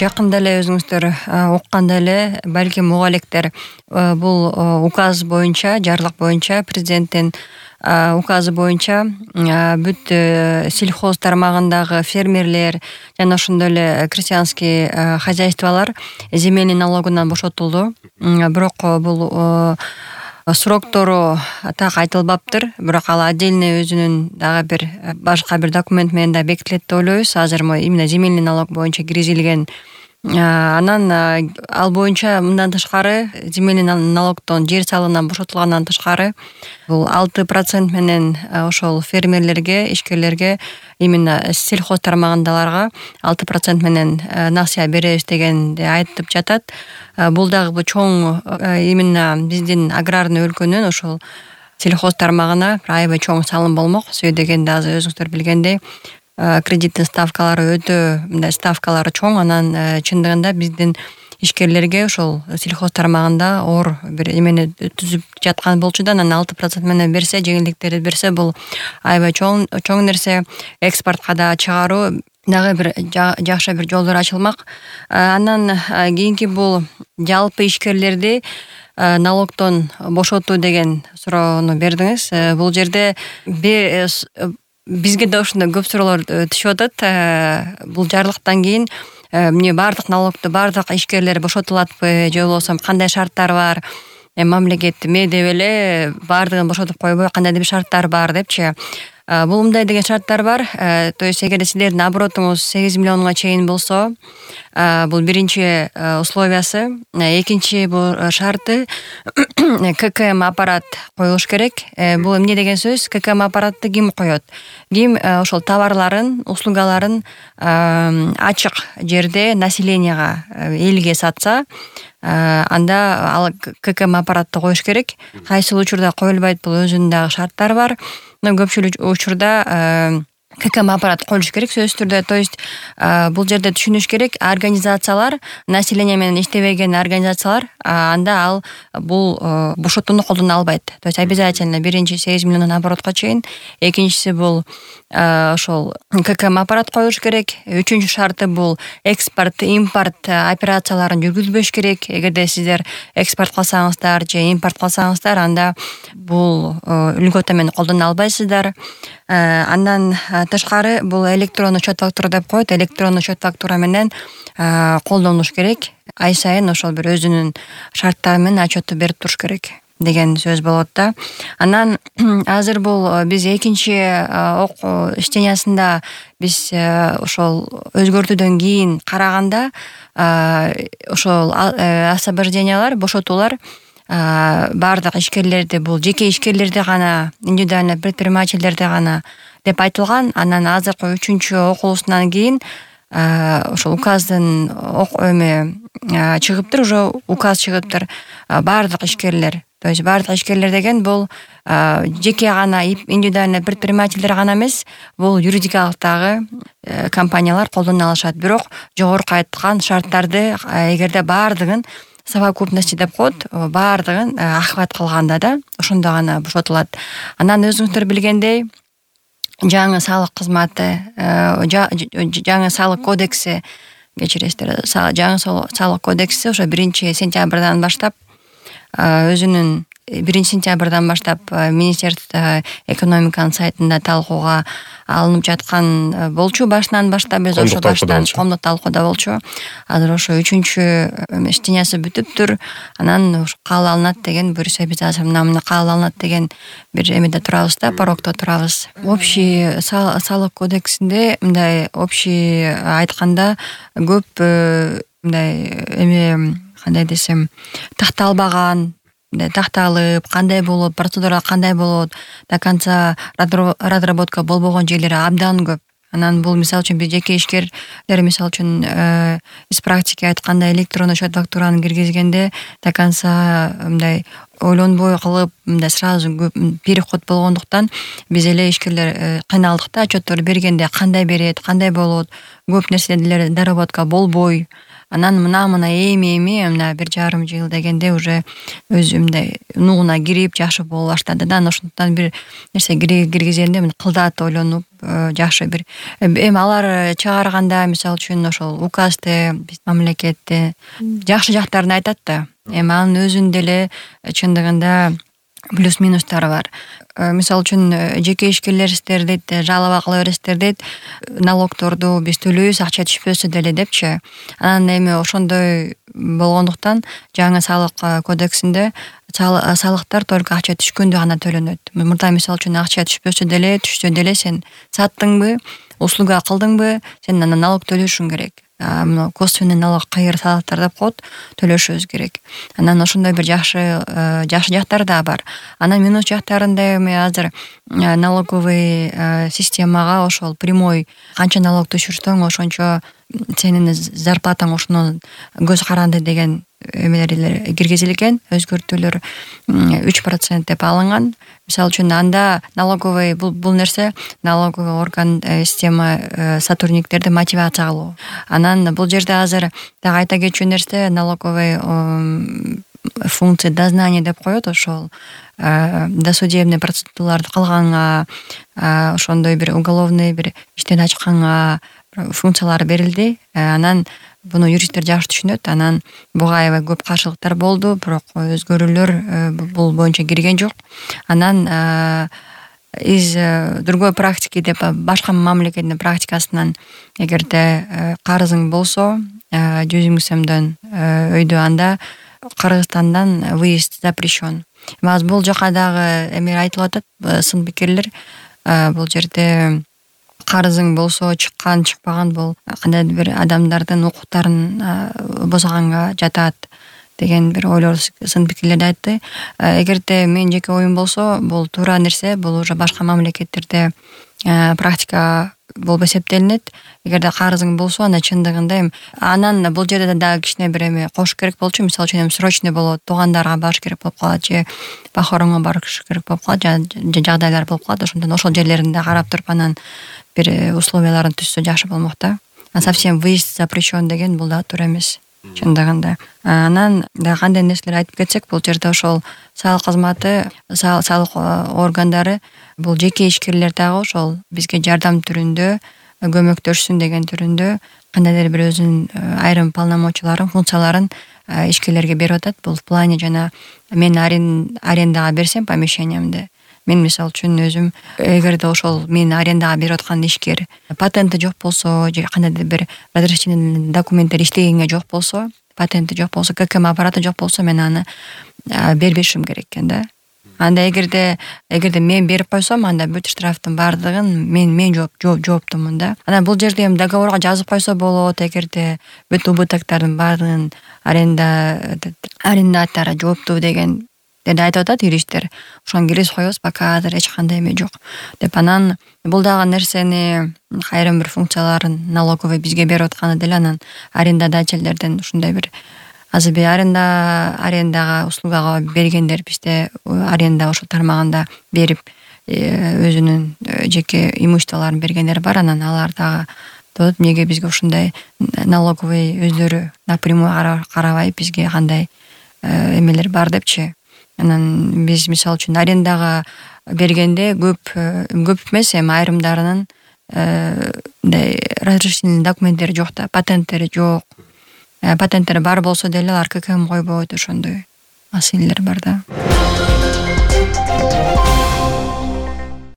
Жакында эле өзүңүздөр укканда эле балким уга электер, бул указ боюнча, жарлык боюнча, президенттин указы боюнча бүт сельхоз тармагындагы фермерлер жана ошондой эле крестьянский хозяйстволор земельный налогунан бошотулду. Бирок бул сроктору так айтылбаптыр. Бирок ал отдельный өзүнүн дагы бир башка бир документ менен да бекитилет деп ойлойбуз. Азыр именно земельный налог боюнча киргизилген. Анан ал боюнча мындан тышкары земельный налогдон жер салыгынан бошотулгандан тышкары бул 6% менен ошол фермерлерге, ишкерлерге, именно сельхоз тармагындагыларга 6% менен насыя беребиз дегенди айтып жатат. Бул дагы чоң именно биздин аграрный өлкөнүн ошол сельхоз тармагына аябай чоң салым болмок. Себеби дегенде азыр өзүңүздөр билгендей кредиттин ставкалары өтө мындай ставкалары чоң. Анан чындыгында биздин ишкерлерге ошол сельхоз тармагында оор бир эмени түзүп жаткан болчу да, анан 6% менен берсе, жеңилдиктерди берсе, бул аябай чоң нерсе. Экспортко да чыгаруу дагы бир жакшы бир жолдор ачылмак. Анан кийинки бул жалпы ишкерлерди налогдон бошотуу деген суроону бердиңиз. Бул жерде бизге да ошондой көп суроолор түшүп атат. Бул жарлыктан кийин эмне бардык налогду бардык ишкерлер бошотулатпы, же болбосо кандай шарттар бар? Мамлекет эме деп эле бардыгын бошотуп койбой кандайдыр бир шарттар бар депчи. Бул мындай деген шарттар бар. То есть эгерде силердин оборотуңуз 8 миллионго чейин болсо, бул биринчи условиясы. Экинчи бул шарты ККМ аппарат коюлуш керек. Бул эмне деген сөз? ККМ аппаратты ким коёт? Ким ошол товарларын, услугаларын ачык жерде населенияга, элге сатса, анда ал ККМ аппаратты коюш керек. Кайсыл учурда коюлбайт, бул өзүнүн дагы шарттары бар. Но көпчүлүк учурда ККМ аппарат коюлуш керек сөзсүз түрдө. То есть бул жерде түшүнүш керек, организациялар, население менен иштебеген организациялар, анда ал бул бошотууну колдоно албайт. То есть обязательно биринчи 8 миллион оборотко чейин, экинчиси бул ошол ККМ аппарат коюлуш керек. Үчүнчү шарты бул экспорт, импорт операцияларын жүргүзбөш керек. Эгерде сиздер экспорт кылсаңыздар же импорт кылсаңыздар, анда бул үлгөтө менен колдоно албайсыздар. Андан тышкары бул электрондук счет фактура деп коет. Электрондук счет фактура менен колдонуш керек. Ай сайын ошол бир өзүнүн шарттары менен отчетту берип туруш керек деген сөз болот да. Анан азыр бул биз экинчи иштениясында биз ошол өзгөртүүдөн кийин караганда ошол освобождениялар, бошотуулар бардык ишкерлерди, бул жеке ишкерлерди гана, индивидуальный предпринимательдерди гана деп айтылган. Анан азыркы 3-чү окуусунан кийин ошол указдын чыгыптыр, уже указ чыгыптыр. Бардык ишкерлер, то есть бардык ишкерлер деген бул жеке гана, индивидуальный предпринимательдер гана эмес, бул юридикалыктагы компаниялар колдоно алышат. Бирок жогорку айткан шарттарды эгерде бардыгын совокупности деп коет, бардыгын охват кылганда да ошондо гана бошотулат. Анан өзүңүздөр билгендей, жаңы салык кызматы, жаңы салык кодекси, кечиресиздер, жаңы салык кодекси ошо 1-сентябрдан баштап өзүнүн 1-сентябрдан баштап Министерство экономиканын сайтында талкууга алынып жаткан болчу. Башынан баштап биз ошо коомдук талкууда болчу. Азыр ошо 3-чү иштениясы бүтүптүр. Анан кабыл алынат деген буюрса, биз азыр мына кабыл алынат деген бир эмеде турабыз да, порокто турабыз. Общий салык кодексинде мындай общий айтканда көп мындай эме, кандай десем, такталбаган, такталып, кандай болот, процедура кандай болот, до конца разработка болбогон жерлери абдан көп. Анан бул мисалы үчүн биз жеке ишкерлер, мисалы үчүн из практики айтканда электрондук счет фактураны киргизгенде до конца мындай ойлонбой кылып мындай сразу көп переход болгондуктан биз эле ишкерлер кыйналдык да, отчеттор бергенде кандай берет, кандай болот, көп нерселер доработка болбой, анан мына эми мына 1,5 жыл дегенде уже өзү мындай нугуна кирип жакшы боло баштады да. Ошондуктан бир нерсе киргизгенде мына кылдат ойлонуп жакшы бир эми алар чыгарганда мисалы үчүн ошол указды биз мамлекетте жакшы жактарын айтат да. Эми анын өзүнүн деле чындыгында плюс минустары бар. Мисалы үчүн жеке ишкерлерсиздер дейт, жалоба кыла бересиздер дейт, налогторду биз төлөйбүз, акча түшпөсө деле депчи. Анан эми ошондой болгондуктан жаңы салык кодексинде салыктар только акча түшкөндө гана төлөнөт. Мурда мисалы үчүн акча түшпөсө деле сен саттыңбы, услуга кылдыңбы, сен анан налог төлөшүң керек. Мына косвенный налог кайыр салыктар деп коет, төлөшүбүз керек. Анан ошондой бир жакшы жактары да бар. Анан минус жактарында эми азыр налоговый системага ошол прямой канча налог түшүрсөң ошончо сенин зарплатаң ошоно көз каранды деген эмелер киргизилген, өзгөртүүлөр 3% деп алынган. Мисалы үчүн анда налоговый бул нерсе налоговый орган система сотрудниктерди мотивация кылуу. Анан бул жерде азыр дагы айта кетчү нерсе налоговый функция дознания деп коет, ошол досудебный процедураларды кылганга, ошондой бир уголовный бир иштен ачканга функциялар берилди. Анан буну юристтер жакшы түшүнөт. Анан буга аябай көп каршылыктар болду, бирок өзгөрүүлөр бул боюнча кирген жок. Анан из другой практики деп башка мамлекеттин практикасынан эгерде карызың болсо 100 000 сомдон өйдө, анда Кыргызстандан выезд запрещен. Азыр бул жака дагы эме айтылып атат, сын пикирлер. Бул жерде карызың болсо чыкпаган бул кандайдыр бир адамдардын укуктарын бузганга жатат деген бир ойлор, сын пикирлерди айтты. Эгерде менин жеке оюм болсо, бул туура нерсе, бул уже башка мамлекеттерде практика болуп эсептелинет. Эгерде карызың болсо, анда чындыгында анан бул жерде дагы кичине бир эме кош керек болчу. Мисалы үчүн срочный болот, туугандарга барыш керек болуп калат же похоронго барыш керек болуп калат, же жагдайлар болуп калат. Ошондон ошол жерлеринде карап туруп анан бир условияларын түзсө жакшы болмок да. Совсем выезд запрещен деген бул да туура эмес чындыгында. Анан да кандай нерселер айтып кетсек, бул жерде ошол салык кызматы, салык органдары бул жеке ишкерлер дагы ошол бизге жардам түрүндө, көмөктөшсүн деген түрүндө кандайдыр бир өзүнүн айрым полномочияларын, функцияларын ишкерлерге берип атат. Бул в плане жана мен арендага берсем помещениемди, мен мисалы үчүн өзүм эгерде ошол мен арендага берип аткан ишкер патенти жок болсо, же кандайдыр бир разрешительный документтер иштегенге жок болсо, патенти жок болсо, ККМ аппараты жок болсо, мен аны бербешим керек экен да. Анда эгерде мен берип койсом, анда бүт штрафтын баардыгын мен жооптумун да. Анан бул жерде эми договорго жазып койсо болот, эгерде бүт убытоктардын баардыгын арендатор жооптуу деген айтып атат юристтер. Ошону киргизип коебуз, пока азыр эч кандай эме жок деп. Анан бул дагы нерсени айрым бир функцияларын налоговый бизге берип атканы деле, анан арендодательдерден ушундай бир азыр бир арендага услугага бергендер бизде аренда ошол тармагында берип өзүнүн жеке имуществолорун бергендер бар. Анан алар дагы эмнеге бизге ушундай налоговый өздөрү напрямую карабай бизге кандай эмелер бар депчи. Анан биз мисалы үчүн арендага бергенде көп эмес, эми айрымдарынын мындай разрешительный документтери жок да, патенттери жок. Патенттери бар болсо деле алар ККМ койбойт, ошондой маселелер бар да.